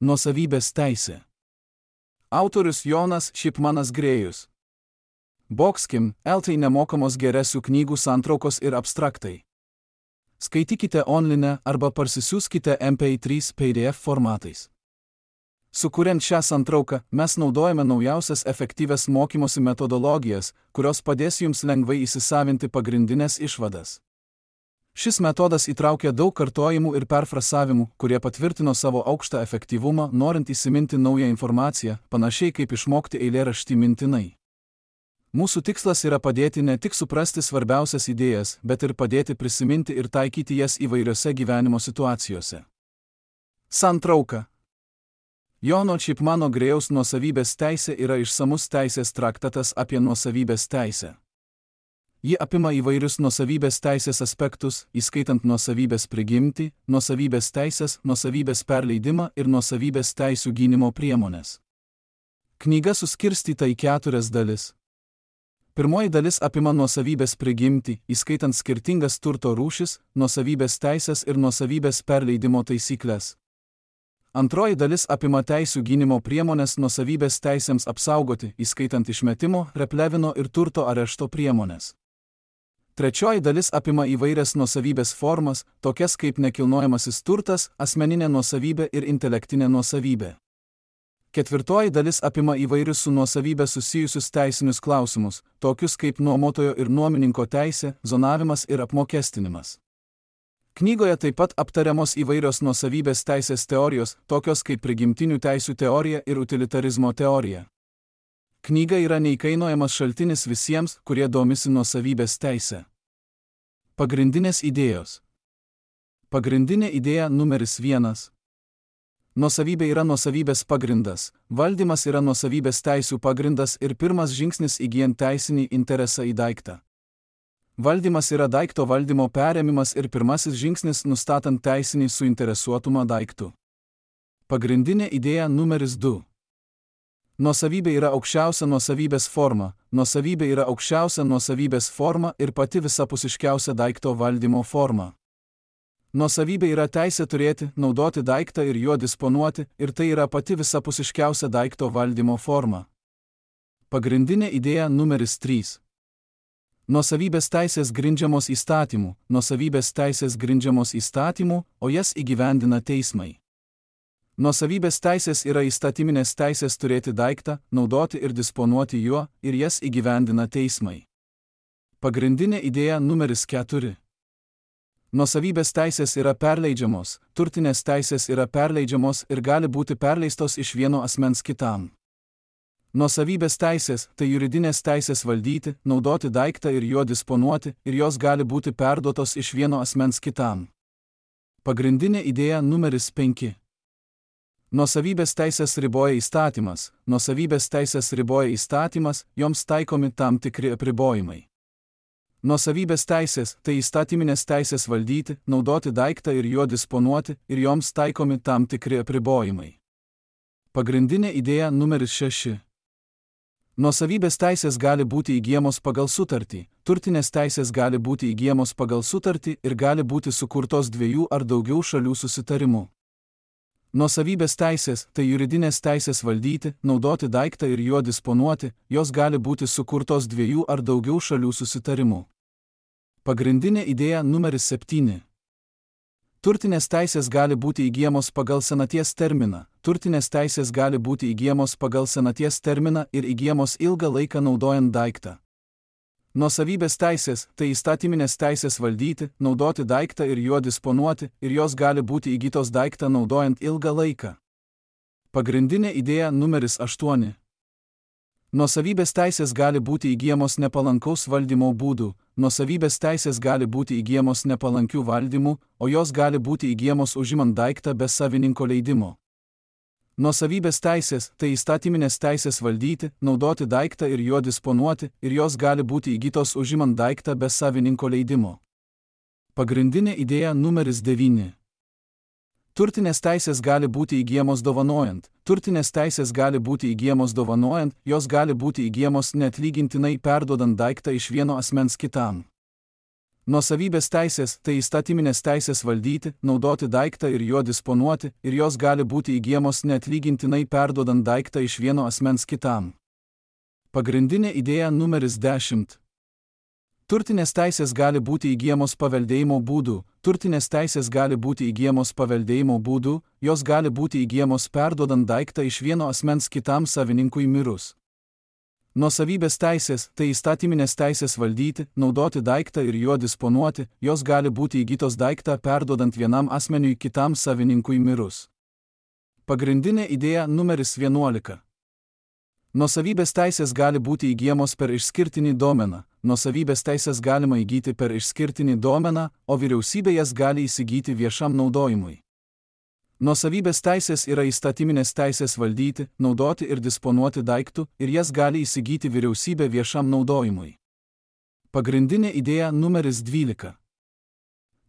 Nuosavybės teisė. Autorius Jonas Šipmanas Grėjus. Boxkim, LT nemokamos geresių knygų santraukos ir abstraktai. Skaitykite online arba parsisiųskite MP3 PDF formatais. Sukuriant šią santrauką, mes naudojame naujausias efektyvias mokymosi metodologijas, kurios padės jums lengvai įsisavinti pagrindinės išvadas. Šis metodas įtraukia daug kartojimų ir perfrasavimų, kurie patvirtino savo aukštą efektyvumą, norint įsiminti naują informaciją, panašiai kaip išmokti eilėraštį mintinai. Mūsų tikslas yra padėti ne tik suprasti svarbiausias idėjas, bet ir padėti prisiminti ir taikyti jas įvairiose gyvenimo situacijose. Santrauka. Jono Šipmano Grėjaus nuosavybės teisė yra išsamus teisės traktatas apie nuosavybės teisę. Ji apima įvairius nuosavybės teisės aspektus, įskaitant nuosavybės prigimtį, nuosavybės teisės, nuosavybės perleidimą ir nuosavybės teisių gynimo priemones. Knyga suskirstyta į 4 dalis. Pirmoji dalis apima nuosavybės prigimtį, įskaitant skirtingas turto rūšis, nuosavybės teisės ir nuosavybės perleidimo taisyklės. Antroji dalis apima teisių gynimo priemones nuosavybės teisėms apsaugoti, įskaitant išmetimo, replevino ir turto arešto priemones. Trečioji dalis apima įvairias nuosavybės formas, tokias kaip nekilnojamasis turtas, asmeninė nuosavybė ir intelektinė nuosavybė. Ketvirtoji dalis apima įvairius su nuosavybė susijusius teisinius klausimus, tokius kaip nuomotojo ir nuomininko teisė, zonavimas ir apmokestinimas. Knygoje taip pat aptariamos įvairios nuosavybės teisės teorijos, tokios kaip prigimtinių teisių teorija ir utilitarizmo teorija. Knyga yra neįkainojamas šaltinis visiems, kurie domisi nuosavybės teise. Pagrindinės idėjos. Pagrindinė idėja numeris 1. Nuosavybė yra nuosavybės pagrindas, valdymas yra nuosavybės teisių pagrindas ir pirmas žingsnis įgyjant teisinį interesą į daiktą. Valdymas yra daikto valdymo perėmimas ir pirmasis žingsnis nustatant teisinį suinteresuotumą daiktų. Pagrindinė idėja numeris 2. Nuosavybė yra aukščiausia nuosavybės forma, nuosavybė yra aukščiausia nuosavybės forma ir pati visapusiškiausia daikto valdymo forma. Nuosavybė yra teisė turėti, naudoti daiktą ir juo disponuoti, ir tai yra pati visapusiškiausia daikto valdymo forma. Pagrindinė idėja numeris 3. Nuosavybės teisės grindžiamos įstatymų, nuosavybės teisės grindžiamos įstatymų, o jas įgyvendina teismai. Nuosavybės teisės yra įstatyminės teisės turėti daiktą, naudoti ir disponuoti juo, ir jas įgyvendina teismai. Pagrindinė idėja numeris 4. Nuosavybės teisės yra perleidžiamos, turtinės teisės yra perleidžiamos ir gali būti perleistos iš vieno asmens kitam. Nuosavybės teisės – tai juridinės teisės valdyti, naudoti daiktą ir juo disponuoti, ir jos gali būti perduotos iš vieno asmens kitam. Pagrindinė idėja numeris 5. Nuosavybės teisės riboja įstatymas, nuosavybės teisės riboja įstatymas, joms taikomi tam tikri apribojimai. Nuosavybės teisės – tai įstatyminės teisės valdyti, naudoti daiktą ir juo disponuoti, ir joms taikomi tam tikri apribojimai. Pagrindinė idėja numeris 6. Nuosavybės teisės gali būti įgyjamos pagal sutartį, turtinės teisės gali būti įgyjamos pagal sutartį ir gali būti sukurtos 2 ar daugiau šalių susitarimu. Nuosavybės teisės – tai juridinės teisės valdyti, naudoti daiktą ir juo disponuoti, jos gali būti sukurtos 2 ar daugiau šalių susitarimu. Pagrindinė idėja numeris 7. Turtinės teisės gali būti įgyjamos pagal senaties terminą, turtinės teisės gali būti įgyjamos pagal senaties terminą ir įgyjamos ilgą laiką naudojant daiktą. Nuosavybės teisės – tai įstatyminės teisės valdyti, naudoti daiktą ir juo disponuoti, ir jos gali būti įgytos daiktą naudojant ilgą laiką. Pagrindinė idėja numeris 8. Nuosavybės teisės gali būti įgyjamos nepalankaus valdymo būdų, nuosavybės teisės gali būti įgyjamos nepalankių valdymų, o jos gali būti įgyjamos užimant daiktą be savininko leidimo. Nuosavybės teisės – tai įstatyminės teisės valdyti, naudoti daiktą ir juo disponuoti, ir jos gali būti įgytos užimant daiktą be savininko leidimo. Pagrindinė idėja numeris 9. Turtinės teisės gali būti įgyjamos dovanojant, turtinės teisės gali būti įgyjamos dovanojant, jos gali būti įgyjamos neatlygintinai perduodant daiktą iš vieno asmens kitam. Nuosavybės teisės tai įstatyminės teisės valdyti, naudoti daiktą ir juo disponuoti, ir jos gali būti įgyjamos neatlygintinai perduodant daiktą iš vieno asmens kitam. Pagrindinė idėja numeris 10. Turtinės teisės gali būti įgyjamos paveldėjimo būdu. Turtinės teisės gali būti įgyjamos paveldėjimo būdu, jos gali būti įgyjamos perduodant daiktą iš vieno asmens kitam savininkui mirus. Nuosavybės teisės tai įstatyminės teisės valdyti, naudoti daiktą ir juo disponuoti, jos gali būti įgytos daiktą perduodant vienam asmeniui kitam savininkui mirus. Pagrindinė idėja numeris 11. Nuosavybės teisės gali būti įgyjamos per išskirtinį domeną. Nuosavybės teisės galima įgyti per išskirtinį domeną, o vyriausybė jas gali įsigyti viešam naudojimui. Nuosavybės teisės yra įstatyminės teisės valdyti, naudoti ir disponuoti daiktų, ir jas gali įsigyti vyriausybė viešam naudojimui. Pagrindinė idėja numeris 12.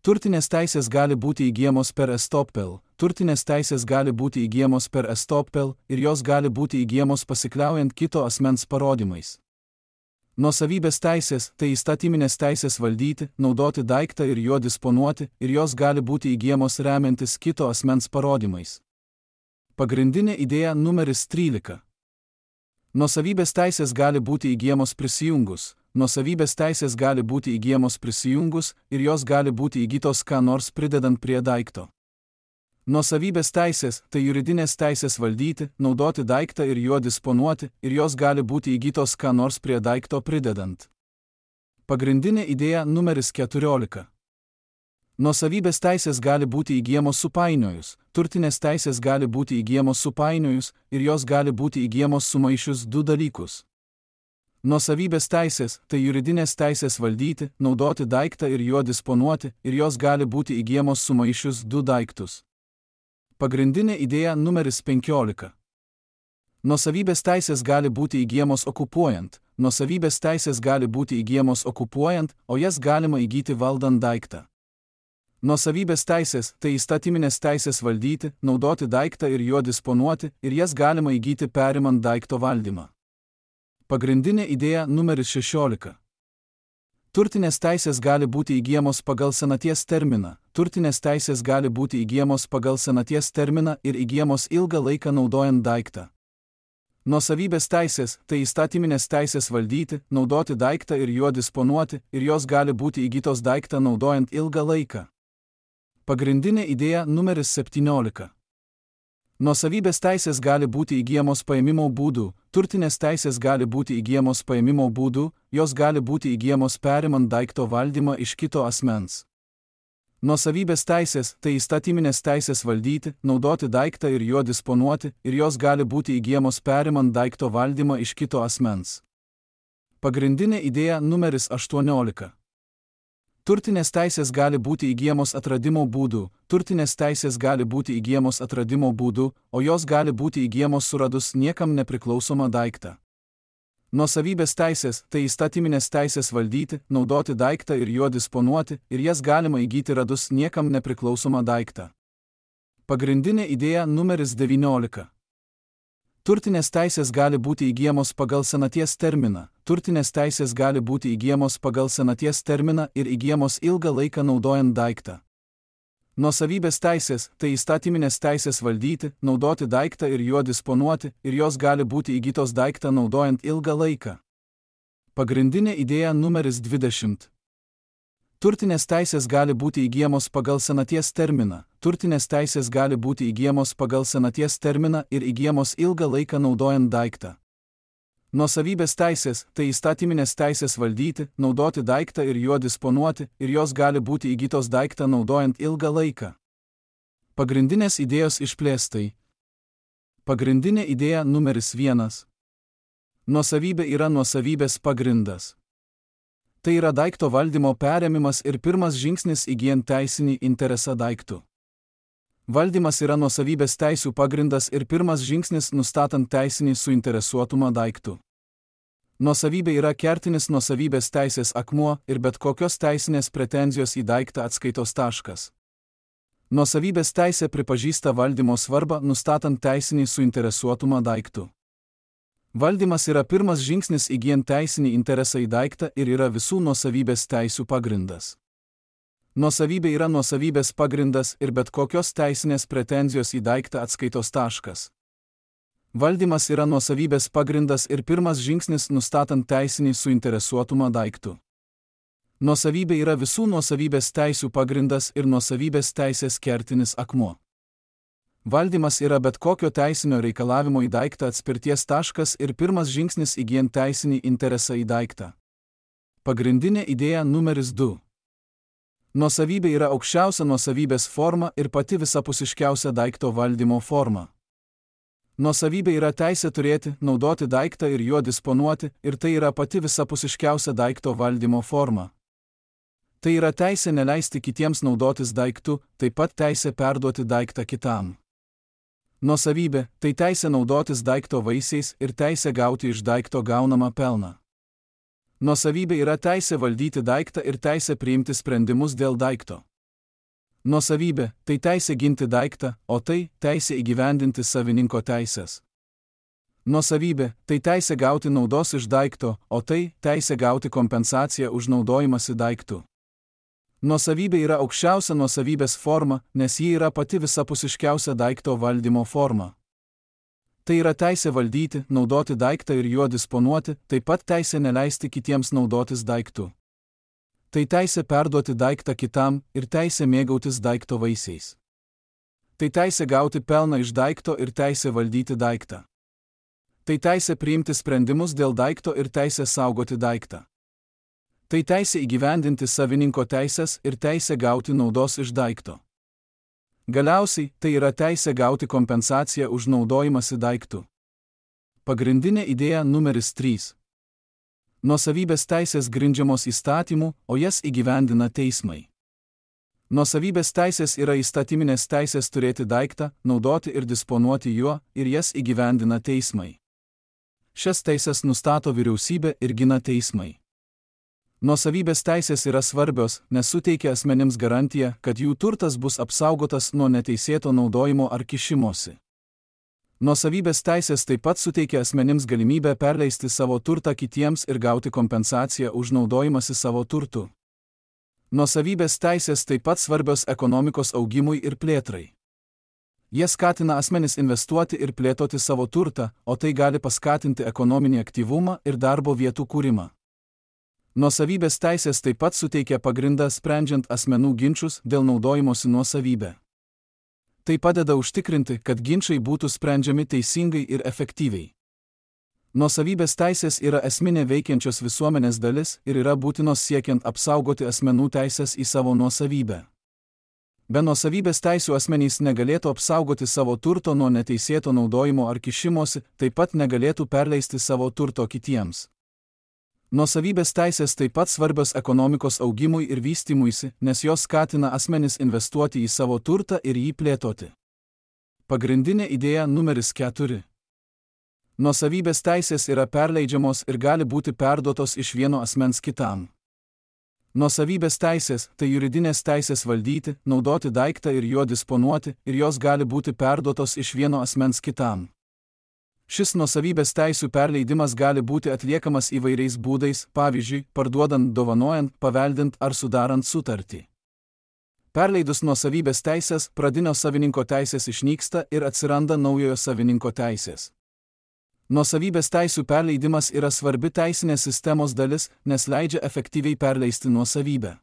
Turtinės teisės gali būti įgyjamos per estoppel. Turtinės teisės gali būti įgyjamos per estoppel ir jos gali būti įgyjamos pasikliaujant kito asmens parodymais. Nuosavybės teisės tai įstatyminės teisės valdyti, naudoti daiktą ir juo disponuoti, ir jos gali būti įgyjamos remiantis kito asmens parodymais. Pagrindinė idėja numeris 13. Nuosavybės teisės gali būti įgyjamos prisijungus. Nuosavybės teisės gali būti įgyjamos prisijungus ir jos gali būti įgytos ką nors pridedant prie daikto. Nuosavybės teisės tai juridinės teisės valdyti, naudoti daiktą ir juo disponuoti, ir jos gali būti įgytos ką nors prie daikto pridedant. Pagrindinė idėja numeris 14. Nuosavybės teisės gali būti įgyjamos supainiojus, turtinės teisės gali būti įgyjamos supainiojus, ir jos gali būti įgyjamos sumaišius du dalykus. Nuosavybės teisės tai juridinės teisės valdyti, naudoti daiktą ir juo disponuoti, ir jos gali būti įgyjamos sumaišius du daiktus. Pagrindinė idėja numeris 15. Nuosavybės teisės gali būti įgyjamos okupuojant. Nuosavybės teisės gali būti įgyjamos okupuojant, o jas galima įgyti valdant daiktą. Nuosavybės teisės tai įstatyminės teisės valdyti, naudoti daiktą ir juo disponuoti, ir jas galima įgyti perimant daikto valdymą. Pagrindinė idėja numeris 16. Turtinės teisės gali būti įgyjamos pagal senaties terminą. Turtinės teisės gali būti įgyjamos pagal senaties terminą ir įgyjamos ilgą laiką naudojant daiktą. Nuosavybės teisės tai įstatyminės teisės valdyti, naudoti daiktą ir juo disponuoti, ir jos gali būti įgytos daiktą naudojant ilgą laiką. Pagrindinė idėja numeris 17. Nuosavybės teisės gali būti įgyjamos paėmimo būdu. Turtinės teisės gali būti įgyjamos paėmimo būdu, jos gali būti įgyjamos perimant daikto valdymą iš kito asmens. Nuosavybės teisės tai įstatyminės teisės valdyti, naudoti daiktą ir juo disponuoti, ir jos gali būti įgyjamos perimant daikto valdymą iš kito asmens. Pagrindinė idėja numeris 18. Turtinės teisės gali būti įgyjamos atradimo būdu. Turtinės teisės gali būti įgyjamos atradimo būdu, o jos gali būti įgyjamos suradus niekam nepriklausomą daiktą. Nuosavybės teisės tai įstatyminės teisės valdyti, naudoti daiktą ir juo disponuoti, ir jas galima įgyti radus niekam nepriklausomą daiktą. Pagrindinė idėja numeris 19. Turtinės teisės gali būti įgyjamos pagal senaties terminą. Turtinės teisės gali būti įgyjamos pagal senaties terminą ir įgyjamos ilgą laiką naudojant daiktą. Nuosavybės teisės tai įstatyminės teisės valdyti, naudoti daiktą ir juo disponuoti, ir jos gali būti įgytos daiktą naudojant ilgą laiką. Pagrindinė idėja numeris 20. Turtinės teisės gali būti įgyjamos pagal senaties terminą. Turtinės teisės gali būti įgyjamos pagal senaties terminą ir įgyjamos ilgą laiką naudojant daiktą. Nuosavybės teisės tai įstatyminės teisės valdyti, naudoti daiktą ir juo disponuoti, ir jos gali būti įgytos daiktą naudojant ilgą laiką. Pagrindinės idėjos išplėstai. Pagrindinė idėja numeris 1. Nuosavybė yra nuosavybės pagrindas. Tai yra daikto valdymo perėmimas ir pirmas žingsnis įgyjant teisinį interesą daiktų. Valdymas yra nuosavybės teisių pagrindas ir pirmas žingsnis nustatant teisinį suinteresuotumą daiktų. Nuosavybė yra kertinis nuosavybės teisės akmuo ir bet kokios teisinės pretenzijos į daiktą atskaitos taškas. Nuosavybės teisė pripažįsta valdymo svarbą nustatant teisinį suinteresuotumą daiktų. Valdymas yra pirmas žingsnis įgyjant teisinį interesą į daiktą ir yra visų nuosavybės teisių pagrindas. Nuosavybė yra nuosavybės pagrindas ir bet kokios teisinės pretenzijos į daiktą atskaitos taškas. Valdymas yra nuosavybės pagrindas ir pirmas žingsnis nustatant teisinį suinteresuotumą daiktų. Nuosavybė yra visų nuosavybės teisių pagrindas ir nuosavybės teisės kertinis akmuo. Valdymas yra bet kokio teisinio reikalavimo į daiktą atspirties taškas ir pirmas žingsnis įgyjant teisinį interesą į daiktą. Pagrindinė idėja numeris 2. Nuosavybė yra aukščiausia nuosavybės forma ir pati visapusiškiausia daikto valdymo forma. Nuosavybė yra teisė turėti, naudoti daiktą ir juo disponuoti, ir tai yra pati visapusiškiausia daikto valdymo forma. Tai yra teisė neleisti kitiems naudotis daiktu, taip pat teisė perduoti daiktą kitam. Nuosavybė – tai teisė naudotis daikto vaisiais ir teisė gauti iš daikto gaunamą pelną. Nuosavybė yra teisė valdyti daiktą ir teisė priimti sprendimus dėl daikto. Nuosavybė – tai teisė ginti daiktą, o tai teisė įgyvendinti savininko teisės. Nuosavybė – tai teisė gauti naudos iš daikto, o tai teisė gauti kompensaciją už naudojimąsi daiktu. Nuosavybė yra aukščiausia nuosavybės forma, nes ji yra pati visapusiškiausia daikto valdymo forma. Tai yra teisė valdyti, naudoti daiktą ir juo disponuoti, taip pat teisė neleisti kitiems naudotis daiktu. Tai teisė perduoti daiktą kitam ir teisė mėgautis daikto vaisiais. Tai teisė gauti pelną iš daikto ir teisė valdyti daiktą. Tai teisė priimti sprendimus dėl daikto ir teisė saugoti daiktą. Tai teisė įgyvendinti savininko teisės ir teisė gauti naudos iš daikto. Galiausiai, tai yra teisė gauti kompensaciją už naudojimąsi daiktu. Pagrindinė idėja numeris 3. Nuosavybės teisės grindžiamos įstatymu, o jas įgyvendina teismai. Nuosavybės teisės yra įstatyminės teisės turėti daiktą, naudoti ir disponuoti juo, ir jas įgyvendina teismai. Šias teisės nustato vyriausybė ir gina teismai. Nuosavybės teisės yra svarbios, nes suteikia asmenims garantiją, kad jų turtas bus apsaugotas nuo neteisėto naudojimo ar kišimosi. Nuosavybės teisės taip pat suteikia asmenims galimybę perleisti savo turtą kitiems ir gauti kompensaciją už naudojimąsi savo turtu. Nuosavybės teisės taip pat svarbios ekonomikos augimui ir plėtrai. Jie skatina asmenis investuoti ir plėtoti savo turtą, o tai gali paskatinti ekonominį aktyvumą ir darbo vietų kūrimą. Nuosavybės teisės taip pat suteikia pagrindą sprendžiant asmenų ginčus dėl naudojimosi nuosavybę. Tai padeda užtikrinti, kad ginčai būtų sprendžiami teisingai ir efektyviai. Nuosavybės teisės yra esminė veikiančios visuomenės dalis ir yra būtinos siekiant apsaugoti asmenų teisės į savo nuosavybę. Be nuosavybės teisių asmenys negalėtų apsaugoti savo turto nuo neteisėto naudojimo ar kišimosi, taip pat negalėtų perleisti savo turto kitiems. Nuosavybės teisės taip pat svarbios ekonomikos augimui ir vystymuisi, nes jos skatina asmenis investuoti į savo turtą ir jį plėtoti. Pagrindinė idėja numeris 4. Nuosavybės teisės yra perleidžiamos ir gali būti perduotos iš vieno asmens kitam. Nuosavybės teisės – tai juridinės teisės valdyti, naudoti daiktą ir juo disponuoti, ir jos gali būti perduotos iš vieno asmens kitam. Šis nuosavybės teisių perleidimas gali būti atliekamas įvairiais būdais, pavyzdžiui, parduodant, dovanojant, paveldint ar sudarant sutartį. Perleidus nuosavybės teisės, pradinio savininko teisės išnyksta ir atsiranda naujojo savininko teisės. Nuosavybės teisių perleidimas yra svarbi teisinės sistemos dalis, nes leidžia efektyviai perleisti nuosavybę.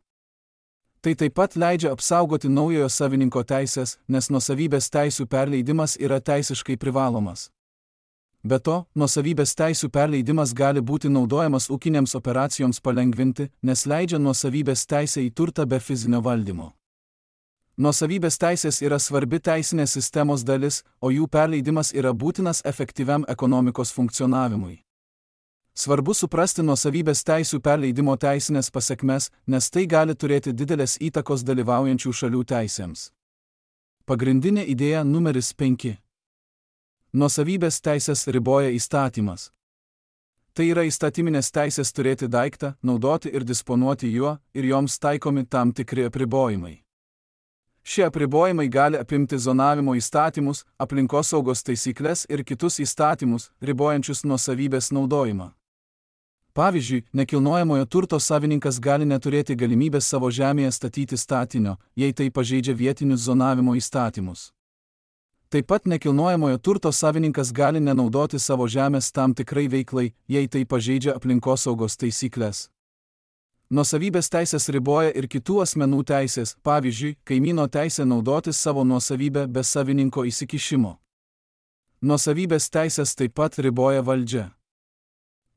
Tai taip pat leidžia apsaugoti naujojo savininko teisės, nes nuosavybės teisių perleidimas yra teisiškai privalomas. Be to, nuosavybės teisių perleidimas gali būti naudojamas ūkinėms operacijoms palengvinti, nes leidžia nuosavybės teisę į turtą be fizinio valdymo. Nuosavybės teisės yra svarbi teisinės sistemos dalis, o jų perleidimas yra būtinas efektyviam ekonomikos funkcionavimui. Svarbu suprasti nuosavybės teisių perleidimo teisinės pasekmes, nes tai gali turėti didelės įtakos dalyvaujančių šalių teisėms. Pagrindinė idėja numeris 5. Nuosavybės teisės riboja įstatymas. Tai yra įstatyminės teisės turėti daiktą, naudoti ir disponuoti juo, ir joms taikomi tam tikri apribojimai. Šie apribojimai gali apimti zonavimo įstatymus, aplinkosaugos taisyklės ir kitus įstatymus, ribojančius nuosavybės naudojimą. Pavyzdžiui, nekilnojamojo turto savininkas gali neturėti galimybės savo žemėje statyti statinio, jei tai pažeidžia vietinius zonavimo įstatymus. Taip pat nekilnojamojo turto savininkas gali nenaudoti savo žemės tam tikrai veiklai, jei tai pažeidžia aplinkosaugos taisyklės. Nuosavybės teisės riboja ir kitų asmenų teisės, pavyzdžiui, kaimyno teisė naudotis savo nuosavybę be savininko įsikišimo. Nuosavybės teisės taip pat riboja valdžia.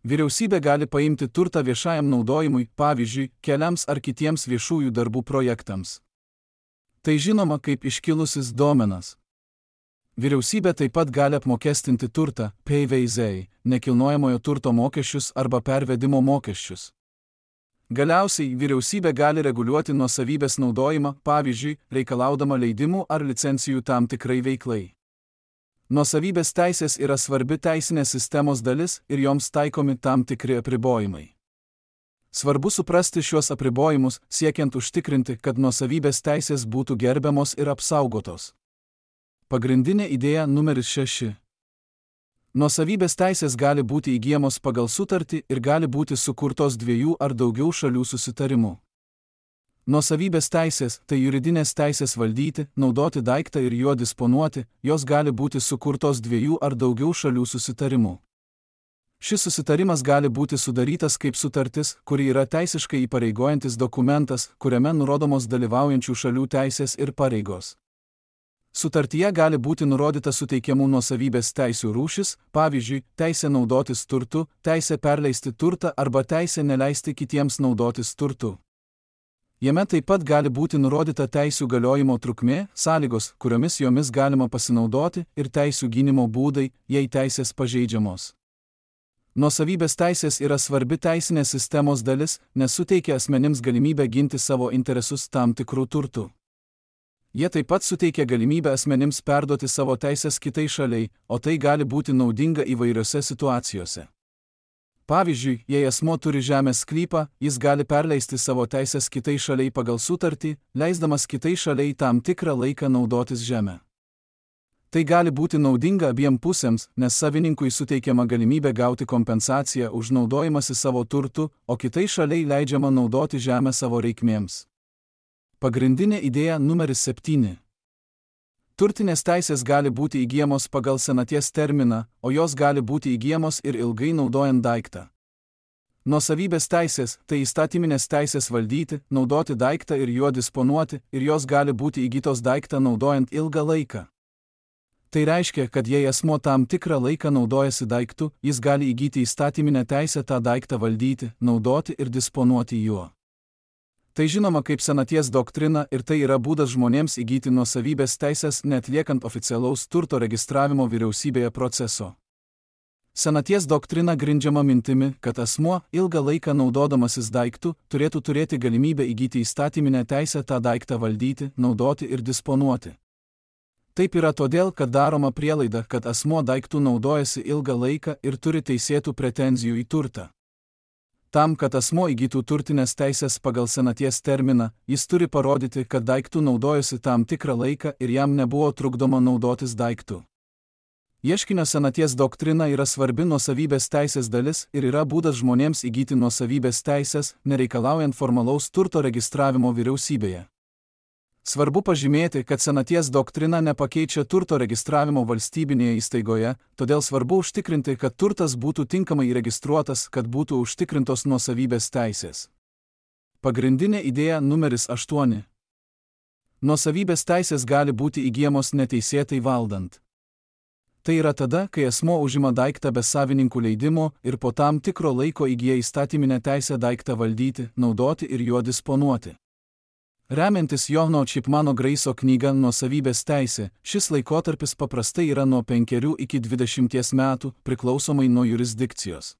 Vyriausybė gali paimti turtą viešajam naudojimui, pavyzdžiui, keliams ar kitiems viešųjų darbų projektams. Tai žinoma kaip iškilusis domenas. Vyriausybė taip pat gali apmokestinti turtą, PVZ, nekilnojamojo turto mokesčius arba pervedimo mokesčius. Galiausiai vyriausybė gali reguliuoti nuosavybės naudojimą, pavyzdžiui, reikalaudama leidimų ar licencijų tam tikrai veiklai. Nuosavybės teisės yra svarbi teisinės sistemos dalis ir joms taikomi tam tikri apribojimai. Svarbu suprasti šiuos apribojimus, siekiant užtikrinti, kad nuosavybės teisės būtų gerbiamos ir apsaugotos. Pagrindinė idėja numeris 6. Nuosavybės teisės gali būti įgyjamos pagal sutartį ir gali būti sukurtos dviejų ar daugiau šalių susitarimu. Nuosavybės teisės – tai juridinės teisės valdyti, naudoti daiktą ir juo disponuoti, jos gali būti sukurtos dviejų ar daugiau šalių susitarimu. Šis susitarimas gali būti sudarytas kaip sutartis, kuri yra teisiškai įpareigojantis dokumentas, kuriame nurodomos dalyvaujančių šalių teisės ir pareigos. Sutartyje gali būti nurodyta suteikiamų nuosavybės teisių rūšis, pavyzdžiui, teisė naudotis turtu, teisė perleisti turtą arba teisė neleisti kitiems naudotis turtu. Jame taip pat gali būti nurodyta teisių galiojimo trukmė, sąlygos, kuriomis jomis galima pasinaudoti, ir teisių gynimo būdai, jei teisės pažeidžiamos. Nuosavybės teisės yra svarbi teisinės sistemos dalis, nes suteikia asmenims galimybę ginti savo interesus tam tikrų turtų. Jie taip pat suteikia galimybę asmenims perduoti savo teisės kitai šaliai, o tai gali būti naudinga įvairiose situacijose. Pavyzdžiui, jei asmuo turi žemės sklypą, jis gali perleisti savo teisės kitai šaliai pagal sutartį, leisdamas kitai šaliai tam tikrą laiką naudotis žemę. Tai gali būti naudinga abiem pusėms, nes savininkui suteikiama galimybė gauti kompensaciją už naudojimąsi savo turtu, o kitai šaliai leidžiama naudoti žemę savo reikmėms. Pagrindinė idėja numeris 7. Turtinės teisės gali būti įgyjamos pagal senaties terminą, o jos gali būti įgyjamos ir ilgai naudojant daiktą. Nuosavybės teisės – tai įstatyminės teisės valdyti, naudoti daiktą ir juo disponuoti, ir jos gali būti įgytos daiktą naudojant ilgą laiką. Tai reiškia, kad jei asmuo tam tikrą laiką naudojasi daiktu, jis gali įgyti įstatyminę teisę tą daiktą valdyti, naudoti ir disponuoti juo. Tai žinoma kaip senaties doktrina ir tai yra būdas žmonėms įgyti nuosavybės teisės neatliekant oficialaus turto registravimo vyriausybėje proceso. Senaties doktrina grindžiama mintimi, kad asmuo, ilgą laiką naudodamasis daiktu, turėtų turėti galimybę įgyti įstatyminę teisę tą daiktą valdyti, naudoti ir disponuoti. Taip yra todėl, kad daroma prielaida, kad asmuo daiktų naudojasi ilgą laiką ir turi teisėtų pretenzijų į turtą. Tam, kad asmuo įgytų turtinės teisės pagal senaties terminą, jis turi parodyti, kad daiktų naudojosi tam tikrą laiką ir jam nebuvo trukdoma naudotis daiktu. Ieškinio senaties doktrina yra svarbi nuosavybės teisės dalis ir yra būdas žmonėms įgyti nuosavybės teisės, nereikalaujant formalaus turto registravimo vyriausybėje. Svarbu pažymėti, kad senaties doktrina nepakeičia turto registravimo valstybinėje įstaigoje, todėl svarbu užtikrinti, kad turtas būtų tinkamai įregistruotas, kad būtų užtikrintos nuosavybės teisės. Pagrindinė idėja numeris 8. Nuosavybės teisės gali būti įgyjamos neteisėtai valdant. Tai yra tada, kai asmuo užima daiktą be savininkų leidimo ir po tam tikro laiko įgyja įstatyminę teisę daiktą valdyti, naudoti ir juo disponuoti. Remiantis Johno Chipmano Graiso knyga Nuosavybės teisė, šis laikotarpis paprastai yra nuo 5 iki 20 metų, priklausomai nuo jurisdikcijos.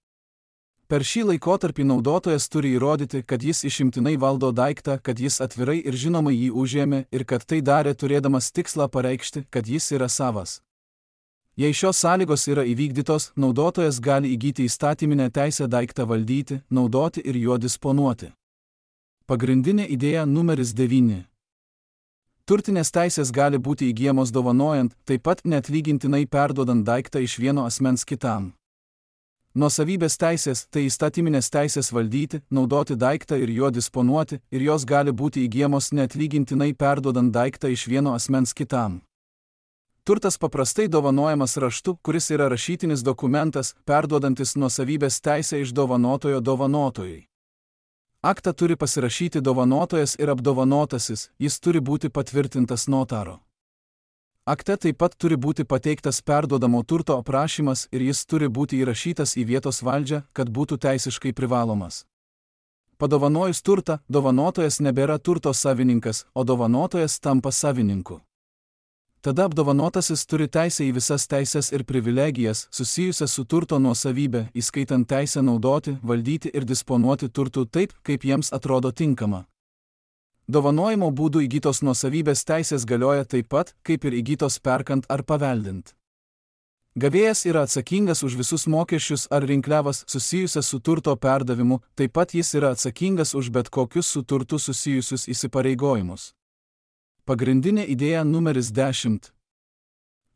Per šį laikotarpį naudotojas turi įrodyti, kad jis išimtinai valdo daiktą, kad jis atvirai ir žinomai jį užėmė ir kad tai darė turėdamas tikslą pareikšti, kad jis yra savas. Jei šios sąlygos yra įvykdytos, naudotojas gali įgyti įstatyminę teisę daiktą valdyti, naudoti ir juo disponuoti. Pagrindinė idėja numeris 9. Turtinės teisės gali būti įgyjamos dovanojant, taip pat neatlygintinai perduodant daiktą iš vieno asmens kitam. Nuosavybės teisės tai įstatyminės teisės valdyti, naudoti daiktą ir juo disponuoti, ir jos gali būti įgyjamos neatlygintinai perduodant daiktą iš vieno asmens kitam. Turtas paprastai dovanojamas raštu, kuris yra rašytinis dokumentas, perduodantis nuosavybės teisę iš dovanotojo dovanotojui. Aktą turi pasirašyti dovanotojas ir apdovanotasis, jis turi būti patvirtintas notaro. Akte taip pat turi būti pateiktas perduodamo turto aprašymas ir jis turi būti įrašytas į vietos valdžią, kad būtų teisiškai privalomas. Padovanojus turtą, dovanotojas nebėra turto savininkas, o dovanotojas tampa savininku. Tada apdovanotasis turi teisę į visas teises ir privilegijas susijusias su turto nuosavybė, įskaitant teisę naudoti, valdyti ir disponuoti turtų taip, kaip jiems atrodo tinkama. Dovanojimo būdų įgytos nuosavybės teisės galioja taip pat, kaip ir įgytos perkant ar paveldint. Gavėjas yra atsakingas už visus mokesčius ar rinkliavas susijusias su turto perdavimu, taip pat jis yra atsakingas už bet kokius su turtu susijusius įsipareigojimus. Pagrindinė idėja numeris 10.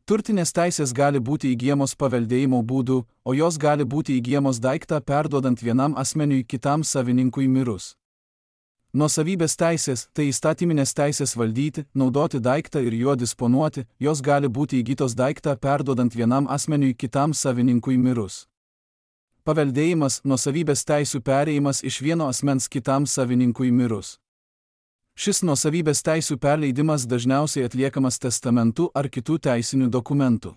Turtinės teisės gali būti įgyjamos paveldėjimo būdu, o jos gali būti įgyjamos daiktą perduodant vienam asmeniui kitam savininkui mirus. Nuosavybės teisės tai įstatyminės teisės valdyti, naudoti daiktą ir juo disponuoti, jos gali būti įgytos daiktą perduodant vienam asmeniui kitam savininkui mirus. Paveldėjimas, nuosavybės teisių perėjimas iš vieno asmens kitam savininkui mirus. Šis nuosavybės teisių perleidimas dažniausiai atliekamas testamentu ar kitų teisinių dokumentų.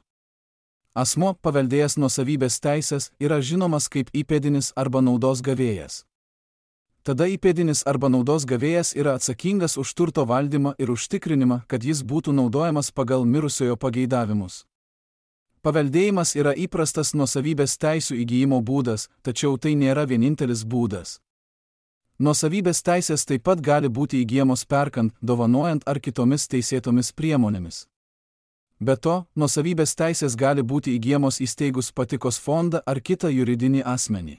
Asmuo, paveldėjęs nuosavybės teisės, yra žinomas kaip įpėdinis arba naudos gavėjas. Tada įpėdinis arba naudos gavėjas yra atsakingas už turto valdymą ir užtikrinimą, kad jis būtų naudojamas pagal mirusiojo pageidavimus. Paveldėjimas yra įprastas nuosavybės teisių įgyjimo būdas, tačiau tai nėra vienintelis būdas. Nuosavybės teisės taip pat gali būti įgyjamos perkant, dovanojant ar kitomis teisėtomis priemonėmis. Be to, nuosavybės teisės gali būti įgyjamos įsteigus patikos fondą ar kitą juridinį asmenį.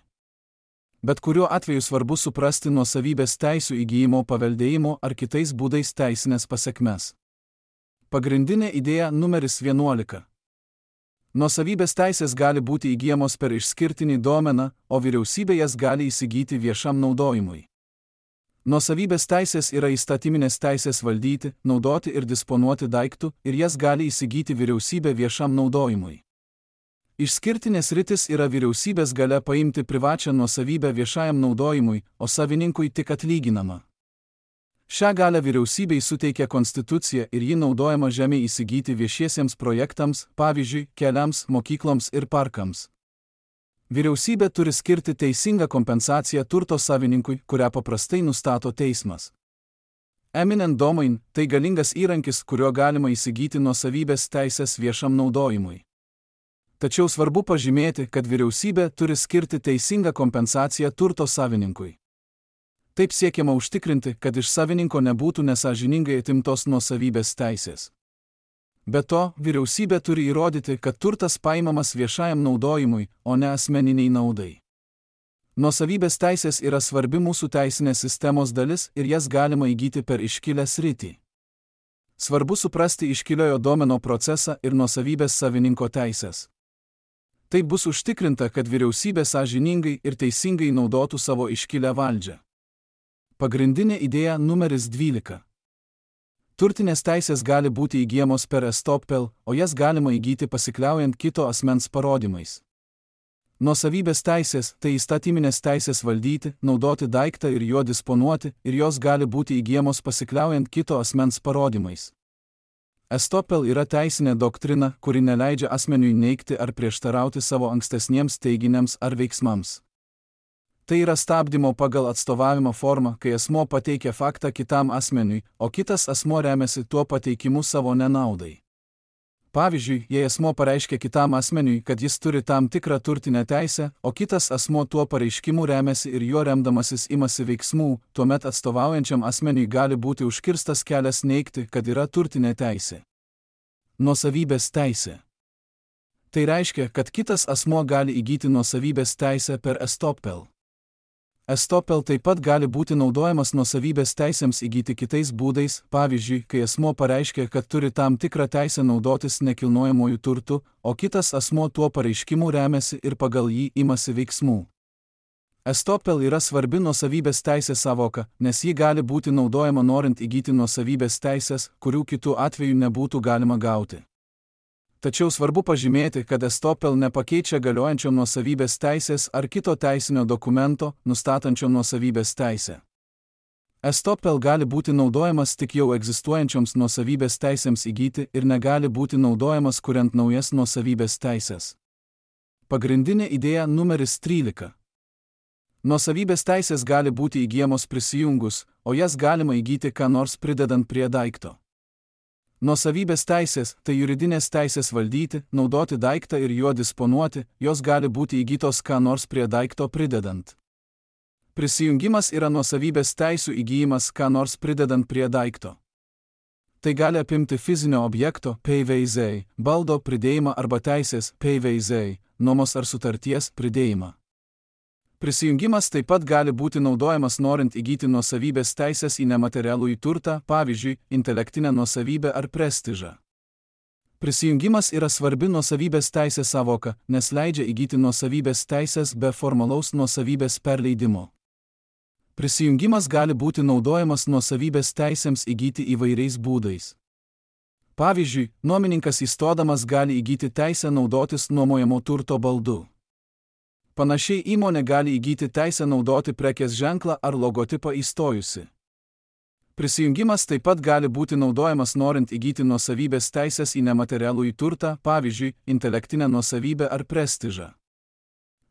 Bet kuriuo atveju svarbu suprasti nuosavybės teisių įgyjimo paveldėjimo ar kitais būdais teisinės pasekmes. Pagrindinė idėja numeris 11. Nuosavybės teisės gali būti įgyjamos per išskirtinį domeną, o vyriausybė jas gali įsigyti viešam naudojimui. Nuosavybės teisės yra įstatyminės teisės valdyti, naudoti ir disponuoti daiktų, ir jas gali įsigyti vyriausybė viešam naudojimui. Išskirtinės sritis yra vyriausybės galia paimti privačią nuosavybę viešajam naudojimui, o savininkui tik atlyginama. Šią galią vyriausybei suteikia konstitucija ir ji naudojama žemė įsigyti viešiesiems projektams, pavyzdžiui, keliams, mokykloms ir parkams. Vyriausybė turi skirti teisingą kompensaciją turto savininkui, kurią paprastai nustato teismas. Eminent domain – tai galingas įrankis, kuriuo galima įsigyti nuosavybės teisės viešam naudojimui. Tačiau svarbu pažymėti, kad vyriausybė turi skirti teisingą kompensaciją turto savininkui. Taip siekiama užtikrinti, kad iš savininko nebūtų nesąžiningai atimtos nuosavybės teisės. Be to, vyriausybė turi įrodyti, kad turtas paimamas viešajam naudojimui, o ne asmeniniai naudai. Nuosavybės teisės yra svarbi mūsų teisinės sistemos dalis ir jas galima įgyti per iškilę sritį. Svarbu suprasti iškiliojo domeno procesą ir nuosavybės savininko teisės. Taip bus užtikrinta, kad vyriausybė sąžiningai ir teisingai naudotų savo iškilę valdžią. Pagrindinė idėja numeris 12. Turtinės teisės gali būti įgyjamos per estoppel, o jas galima įgyti pasikliaujant kito asmens parodymais. Nuosavybės teisės tai įstatyminės teisės valdyti, naudoti daiktą ir juo disponuoti, ir jos gali būti įgyjamos pasikliaujant kito asmens parodymais. Estoppel yra teisinė doktrina, kuri neleidžia asmeniui neigti ar prieštarauti savo ankstesniems teiginiams ar veiksmams. Tai yra stabdymo pagal atstovavimo formą, kai asmuo pateikia faktą kitam asmeniui, o kitas asmuo remiasi tuo pateikimu savo nenaudai. Pavyzdžiui, jei asmuo pareiškia kitam asmeniui, kad jis turi tam tikrą turtinę teisę, o kitas asmuo tuo pareiškimu remiasi ir juo remdamasis imasi veiksmų, tuomet atstovaujančiam asmeniui gali būti užkirstas kelias neigti, kad yra turtinė teisė. Nuosavybės teisė. Tai reiškia, kad kitas asmuo gali įgyti nuosavybės teisę per estoppel. Estoppel taip pat gali būti naudojamas nuosavybės teisėms įgyti kitais būdais, pavyzdžiui, kai asmuo pareiškia, kad turi tam tikrą teisę naudotis nekilnojamuoju turtu, o kitas asmuo tuo pareiškimu remiasi ir pagal jį imasi veiksmų. Estoppel yra svarbi nuosavybės teisės sąvoka, nes ji gali būti naudojama norint įgyti nuosavybės teisės, kurių kitų atveju nebūtų galima gauti. Tačiau svarbu pažymėti, kad estoppel nepakeičia galiojančio nuosavybės teisės ar kito teisinio dokumento, nustatančio nuosavybės teisę. Estoppel gali būti naudojamas tik jau egzistuojančioms nuosavybės teisėms įgyti ir negali būti naudojamas kuriant naujas nuosavybės teisės. Pagrindinė idėja numeris 13. Nuosavybės teisės gali būti įgyjamos prisijungus, o jas galima įgyti ką nors pridedant prie daikto. Nuosavybės teisės – tai juridinės teisės valdyti, naudoti daiktą ir juo disponuoti, jos gali būti įgytos ką nors prie daikto pridedant. Prisijungimas yra nuosavybės teisių įgyjimas ką nors pridedant prie daikto. Tai gali apimti fizinio objekto, PVZ, baldo pridėjimą arba teisės, PVZ, nuomos ar sutarties pridėjimą. Prisijungimas taip pat gali būti naudojamas norint įgyti nuosavybės teisės į nematerialųjį turtą, pavyzdžiui, intelektinę nuosavybę ar prestižą. Prisijungimas yra svarbi nuosavybės teisės sąvoka, nes leidžia įgyti nuosavybės teisės be formalaus nuosavybės perleidimo. Prisijungimas gali būti naudojamas nuosavybės teisėms įgyti įvairiais būdais. Pavyzdžiui, nuomininkas įstodamas gali įgyti teisę naudotis nuomojamo turto baldu. Panašiai įmonė gali įgyti teisę naudoti prekės ženklą ar logotipą įstojusi. Prisijungimas taip pat gali būti naudojamas norint įgyti nuosavybės teisės į nematerialųjį turtą, pavyzdžiui, intelektinę nuosavybę ar prestižą.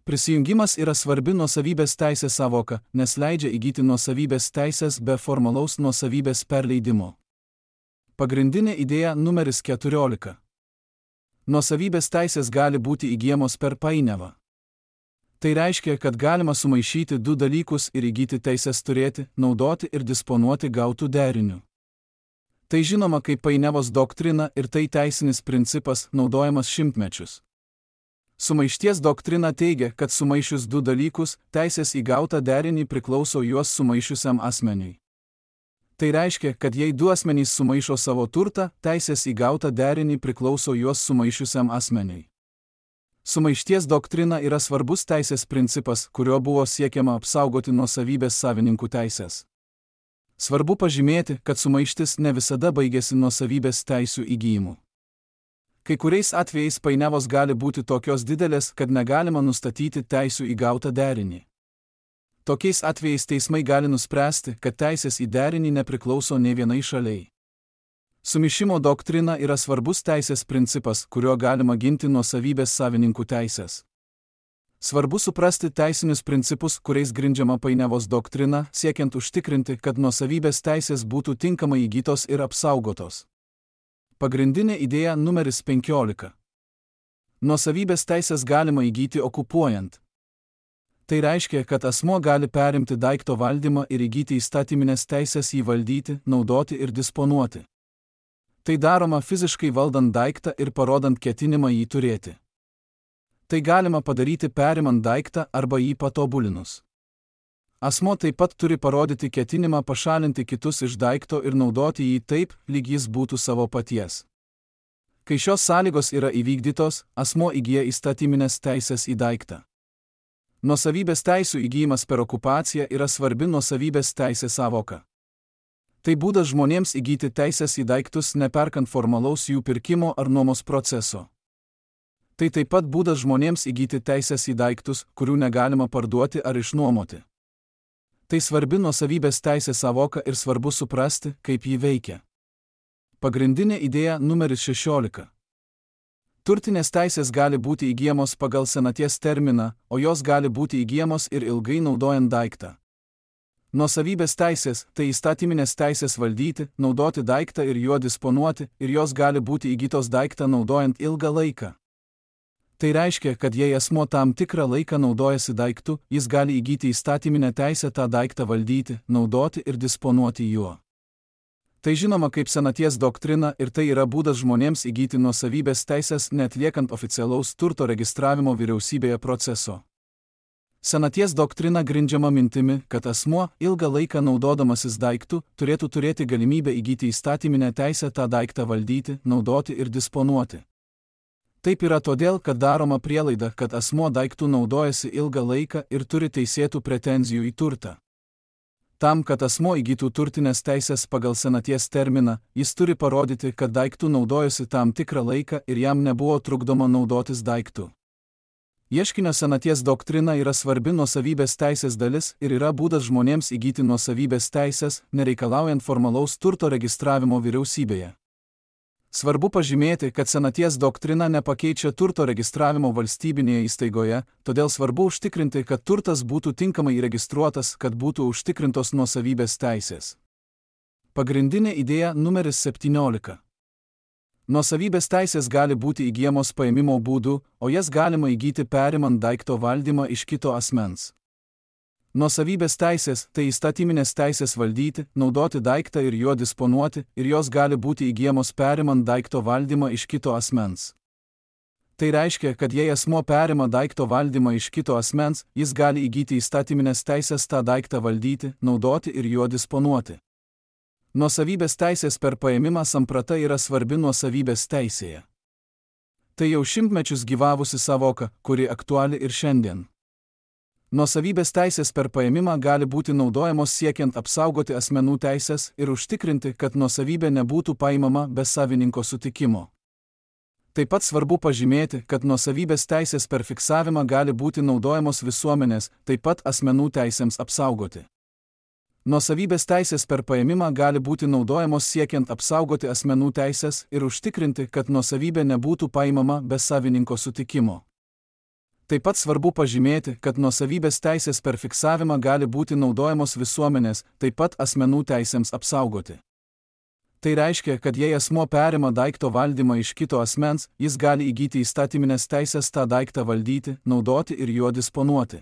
Prisijungimas yra svarbi nuosavybės teisės sąvoka, nes leidžia įgyti nuosavybės teisės be formalaus nuosavybės perleidimo. Pagrindinė idėja numeris 14. Nuosavybės teisės gali būti įgyjamos per painiavą. Tai reiškia, kad galima sumaišyti du dalykus ir įgyti teisės turėti, naudoti ir disponuoti gautų derinių. Tai žinoma kaip painiavos doktrina ir tai teisinis principas naudojamas šimtmečius. Sumaišties doktrina teigia, kad sumaišius du dalykus, teisės į gautą derinį priklauso juos sumaišiusiam asmeniui. Tai reiškia, kad jei du asmenys sumaišo savo turtą, teisės į gautą derinį priklauso juos sumaišiusiam asmeniui. Sumaišties doktrina yra svarbus teisės principas, kuriuo buvo siekiama apsaugoti nuosavybės savininkų teisės. Svarbu pažymėti, kad sumaištis ne visada baigėsi nuosavybės teisių įgyjimu. Kai kuriais atvejais painiavos gali būti tokios didelės, kad negalima nustatyti teisių į gautą derinį. Tokiais atvejais teismai gali nuspręsti, kad teisės į derinį nepriklauso nė vienai šaliai. Sumišimo doktrina yra svarbus teisės principas, kuriuo galima ginti nuosavybės savininkų teisės. Svarbu suprasti teisinius principus, kuriais grindžiama painiavos doktrina, siekiant užtikrinti, kad nuosavybės teisės būtų tinkamai įgytos ir apsaugotos. Pagrindinė idėja numeris 15. Nuosavybės teisės galima įgyti okupuojant. Tai reiškia, kad asmuo gali perimti daikto valdymą ir įgyti įstatyminės teisės jį valdyti, naudoti ir disponuoti. Tai daroma fiziškai valdant daiktą ir parodant ketinimą jį turėti. Tai galima padaryti perimant daiktą arba jį patobulinus. Asmuo taip pat turi parodyti ketinimą pašalinti kitus iš daikto ir naudoti jį taip, lyg jis būtų savo paties. Kai šios sąlygos yra įvykdytos, asmuo įgyja įstatyminės teisės į daiktą. Nuosavybės teisių įgyjimas per okupaciją yra svarbi nuosavybės teisės sąvoka. Tai būdas žmonėms įgyti teisės į daiktus neperkant formalaus jų pirkimo ar nuomos proceso. Tai taip pat būdas žmonėms įgyti teisės į daiktus, kurių negalima parduoti ar išnuomoti. Tai svarbi nuosavybės teisės sąvoka ir svarbu suprasti, kaip ji veikia. Pagrindinė idėja numeris 16. Turtinės teisės gali būti įgyjamos pagal senaties terminą, o jos gali būti įgyjamos ir ilgai naudojant daiktą. Nuosavybės teisės – tai įstatyminės teisės valdyti, naudoti daiktą ir juo disponuoti, ir jos gali būti įgytos daiktą naudojant ilgą laiką. Tai reiškia, kad jei asmuo tam tikrą laiką naudojasi daiktu, jis gali įgyti įstatyminę teisę tą daiktą valdyti, naudoti ir disponuoti juo. Tai žinoma kaip senaties doktrina ir tai yra būdas žmonėms įgyti nuosavybės teisės neatliekant oficialaus turto registravimo vyriausybėje proceso. Senaties doktrina grindžiama mintimi, kad asmuo, ilgą laiką naudodamasis daiktu, turėtų turėti galimybę įgyti įstatyminę teisę tą daiktą valdyti, naudoti ir disponuoti. Taip yra todėl, kad daroma prielaida, kad asmuo daiktų naudojasi ilgą laiką ir turi teisėtų pretenzijų į turtą. Tam, kad asmuo įgytų turtinės teisės pagal senaties terminą, jis turi parodyti, kad daiktų naudojosi tam tikrą laiką ir jam nebuvo trukdoma naudotis daiktu. Ieškinio senaties doktrina yra svarbi nuosavybės teisės dalis ir yra būdas žmonėms įgyti nuosavybės teisės, nereikalaujant formalaus turto registravimo vyriausybėje. Svarbu pažymėti, kad senaties doktrina nepakeičia turto registravimo valstybinėje įstaigoje, todėl svarbu užtikrinti, kad turtas būtų tinkamai įregistruotas, kad būtų užtikrintos nuosavybės teisės. Pagrindinė idėja numeris 17. Nuosavybės teisės gali būti įgyjamos paėmimo būdu, o jas galima įgyti perimant daikto valdymą iš kito asmens. Nuosavybės teisės – tai įstatyminės teisės valdyti, naudoti daiktą ir juo disponuoti, ir jos gali būti įgyjamos perimant daikto valdymą iš kito asmens. Tai reiškia, kad jei asmuo perima daikto valdymą iš kito asmens, jis gali įgyti įstatyminės teisės tą daiktą valdyti, naudoti ir juo disponuoti. Nuosavybės teisės per paėmimą samprata yra svarbi nuosavybės teisėje. Tai jau šimtmečius gyvavusi savoka, kuri aktuali ir šiandien. Nuosavybės teisės per paėmimą gali būti naudojamos siekiant apsaugoti asmenų teisės ir užtikrinti, kad nuosavybė nebūtų paimama be savininko sutikimo. Taip pat svarbu pažymėti, kad nuosavybės teisės per fiksavimą gali būti naudojamos visuomenės, taip pat asmenų teisėms apsaugoti. Nuosavybės teisės per paėmimą gali būti naudojamos siekiant apsaugoti asmenų teisės ir užtikrinti, kad nuosavybė nebūtų paimama be savininko sutikimo. Taip pat svarbu pažymėti, kad nuosavybės teisės per fiksavimą gali būti naudojamos visuomenės, taip pat asmenų teisėms apsaugoti. Tai reiškia, kad jei asmuo perima daikto valdymą iš kito asmens, jis gali įgyti įstatyminės teisės tą daiktą valdyti, naudoti ir juo disponuoti.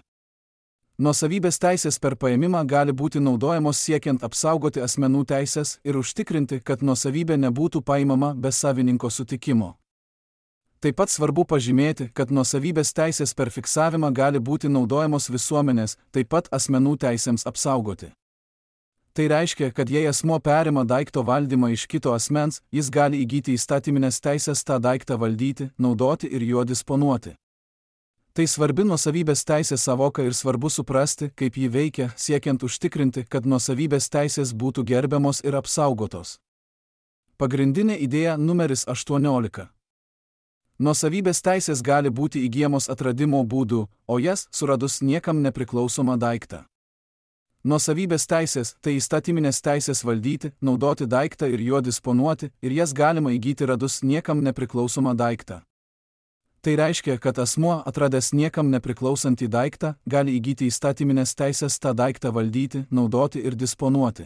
Nuosavybės teisės per paėmimą gali būti naudojamos siekiant apsaugoti asmenų teisės ir užtikrinti, kad nuosavybė nebūtų paimama be savininko sutikimo. Taip pat svarbu pažymėti, kad nuosavybės teisės per fiksavimą gali būti naudojamos visuomenės, taip pat asmenų teisėms apsaugoti. Tai reiškia, kad jei asmuo perima daikto valdymą iš kito asmens, jis gali įgyti įstatyminės teisės tą daiktą valdyti, naudoti ir juo disponuoti. Tai svarbi nuosavybės teisės savoka ir svarbu suprasti, kaip ji veikia, siekiant užtikrinti, kad nuosavybės teisės būtų gerbiamos ir apsaugotos. Pagrindinė idėja numeris 18. Nuosavybės teisės gali būti įgyjamos atradimo būdu, o jas suradus niekam nepriklausomą daiktą. Nuosavybės teisės – tai įstatyminės teisės valdyti, naudoti daiktą ir juo disponuoti, ir jas galima įgyti radus niekam nepriklausomą daiktą. Tai reiškia, kad asmuo, atradęs niekam nepriklausantį daiktą, gali įgyti įstatyminės teisės tą daiktą valdyti, naudoti ir disponuoti.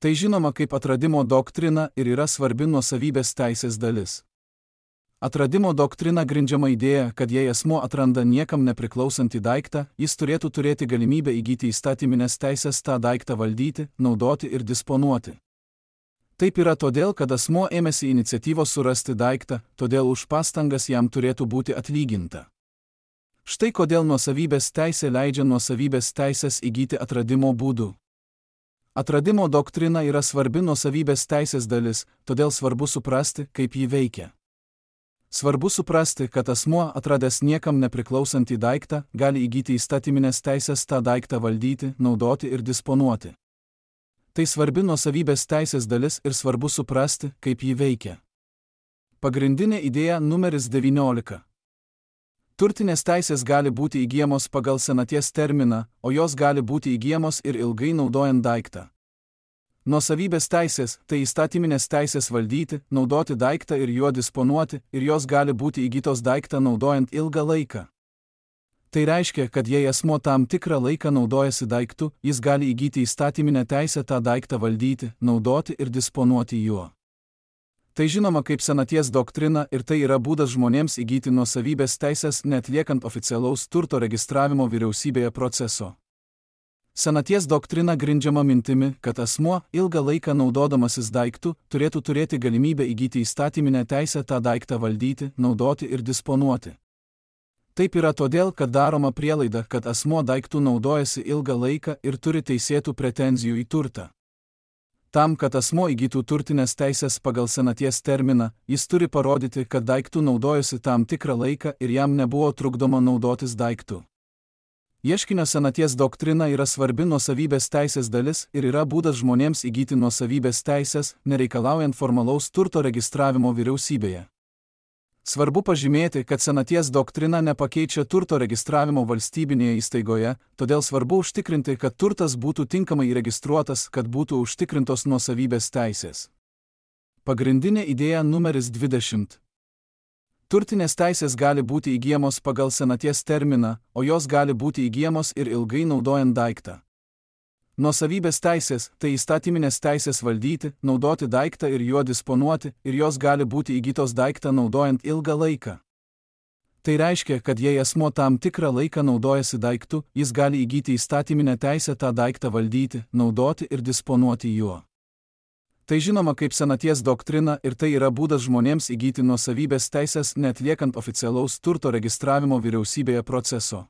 Tai žinoma kaip atradimo doktrina ir yra svarbi nuosavybės teisės dalis. Atradimo doktrina grindžiama idėja, kad jei asmuo atranda niekam nepriklausantį daiktą, jis turėtų turėti galimybę įgyti įstatyminės teisės tą daiktą valdyti, naudoti ir disponuoti. Taip yra todėl, kad asmuo ėmėsi iniciatyvos surasti daiktą, todėl už pastangas jam turėtų būti atlyginta. Štai kodėl nuosavybės teisė leidžia nuosavybės teisės įgyti atradimo būdu. Atradimo doktrina yra svarbi nuosavybės teisės dalis, todėl svarbu suprasti, kaip ji veikia. Svarbu suprasti, kad asmuo, atradęs niekam nepriklausantį daiktą, gali įgyti įstatyminės teisės tą daiktą valdyti, naudoti ir disponuoti. Tai svarbi nuosavybės teisės dalis ir svarbu suprasti, kaip ji veikia. Pagrindinė idėja numeris 19. Turtinės teisės gali būti įgyjamos pagal senaties terminą, o jos gali būti įgyjamos ir ilgai naudojant daiktą. Nuosavybės teisės – tai įstatyminės teisės valdyti, naudoti daiktą ir juo disponuoti, ir jos gali būti įgytos daiktą naudojant ilgą laiką. Tai reiškia, kad jei asmuo tam tikrą laiką naudojasi daiktu, jis gali įgyti įstatyminę teisę tą daiktą valdyti, naudoti ir disponuoti juo. Tai žinoma kaip senaties doktrina ir tai yra būdas žmonėms įgyti nuosavybės teisės neatliekant oficialaus turto registravimo vyriausybėje proceso. Senaties doktrina grindžiama mintimi, kad asmuo, ilgą laiką naudodamasis daiktu, turėtų turėti galimybę įgyti įstatyminę teisę tą daiktą valdyti, naudoti ir disponuoti. Taip yra todėl, kad daroma prielaida, kad asmuo daiktų naudojasi ilgą laiką ir turi teisėtų pretenzijų į turtą. Tam, kad asmuo įgytų turtinės teisės pagal senaties terminą, jis turi parodyti, kad daiktų naudojosi tam tikrą laiką ir jam nebuvo trukdoma naudotis daiktu. Ieškinio senaties doktrina yra svarbi nuosavybės teisės dalis ir yra būdas žmonėms įgyti nuosavybės teisės, nereikalaujant formalaus turto registravimo vyriausybėje. Svarbu pažymėti, kad senaties doktrina nepakeičia turto registravimo valstybinėje įstaigoje, todėl svarbu užtikrinti, kad turtas būtų tinkamai įregistruotas, kad būtų užtikrintos nuosavybės teisės. Pagrindinė idėja numeris 20. Turtinės teisės gali būti įgyjamos pagal senaties terminą, o jos gali būti įgyjamos ir ilgai naudojant daiktą. Nuosavybės teisės – tai įstatyminės teisės valdyti, naudoti daiktą ir juo disponuoti, ir jos gali būti įgytos daiktą naudojant ilgą laiką. Tai reiškia, kad jei asmuo tam tikrą laiką naudojasi daiktu, jis gali įgyti įstatyminę teisę tą daiktą valdyti, naudoti ir disponuoti juo. Tai žinoma kaip senaties doktrina ir tai yra būdas žmonėms įgyti nuosavybės teisės neatliekant oficialaus turto registravimo vyriausybėje proceso.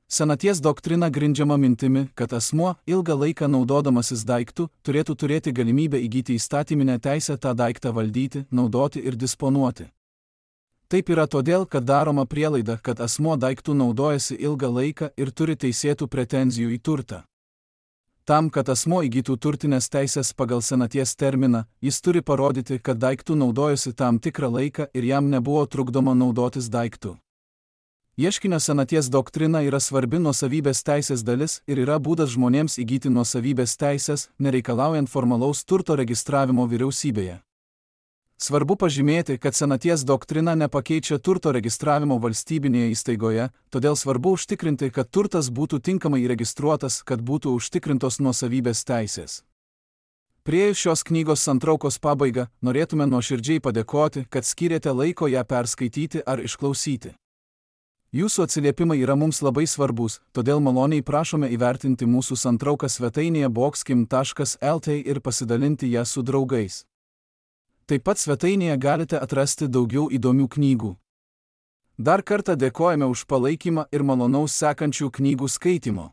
Senaties doktrina grindžiama mintimi, kad asmuo, ilgą laiką naudodamasis daiktu, turėtų turėti galimybę įgyti įstatyminę teisę tą daiktą valdyti, naudoti ir disponuoti. Taip yra todėl, kad daroma prielaida, kad asmuo daiktų naudojasi ilgą laiką ir turi teisėtų pretenzijų į turtą. Tam, kad asmuo įgytų turtinės teisės pagal senaties terminą, jis turi parodyti, kad daiktų naudojosi tam tikrą laiką ir jam nebuvo trukdoma naudotis daiktu. Ieškinio senaties doktrina yra svarbi nuosavybės teisės dalis ir yra būdas žmonėms įgyti nuosavybės teisės, nereikalaujant formalaus turto registravimo vyriausybėje. Svarbu pažymėti, kad senaties doktrina nepakeičia turto registravimo valstybinėje įstaigoje, todėl svarbu užtikrinti, kad turtas būtų tinkamai įregistruotas, kad būtų užtikrintos nuosavybės teisės. Priėjus šios knygos santraukos pabaigą, norėtume nuoširdžiai padėkoti, kad skyrėte laiko ją perskaityti ar išklausyti. Jūsų atsiliepimai yra mums labai svarbus, todėl maloniai prašome įvertinti mūsų santrauką svetainėje boxkim.lt ir pasidalinti ją su draugais. Taip pat svetainėje galite atrasti daugiau įdomių knygų. Dar kartą dėkojame už palaikymą ir malonaus sekančių knygų skaitimo.